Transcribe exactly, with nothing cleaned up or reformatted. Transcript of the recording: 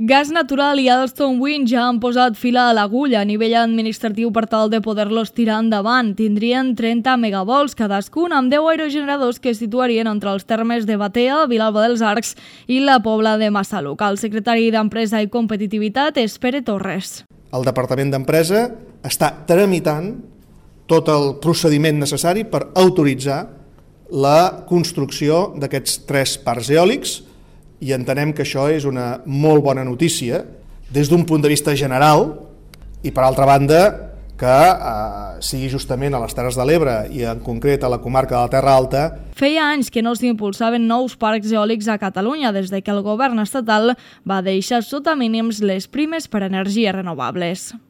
Gas Natural i Alstom Wind ja han posat fila a l'agulla a nivell administratiu per tal de poder-los tirar endavant. Tindrien trenta megavolts cadascun amb deu aerogeneradors que es situarien entre els termes de Batea, Vilalba dels Arcs i la Pobla de Massaluca. El secretari d'Empresa i Competitivitat és Pere Torres. El Departament d'Empresa està tramitant tot el procediment necessari per autoritzar la construcció d'aquests tres parcs eòlics i entenem que això és una molt bona notícia des d'un punt de vista general i, per altra banda, que eh, sigui justament a les Terres de l'Ebre i en concret a la comarca de la Terra Alta. Feia anys que no s'impulsaven nous parcs eòlics a Catalunya des de que el govern estatal va deixar sota mínims les primes per energies renovables.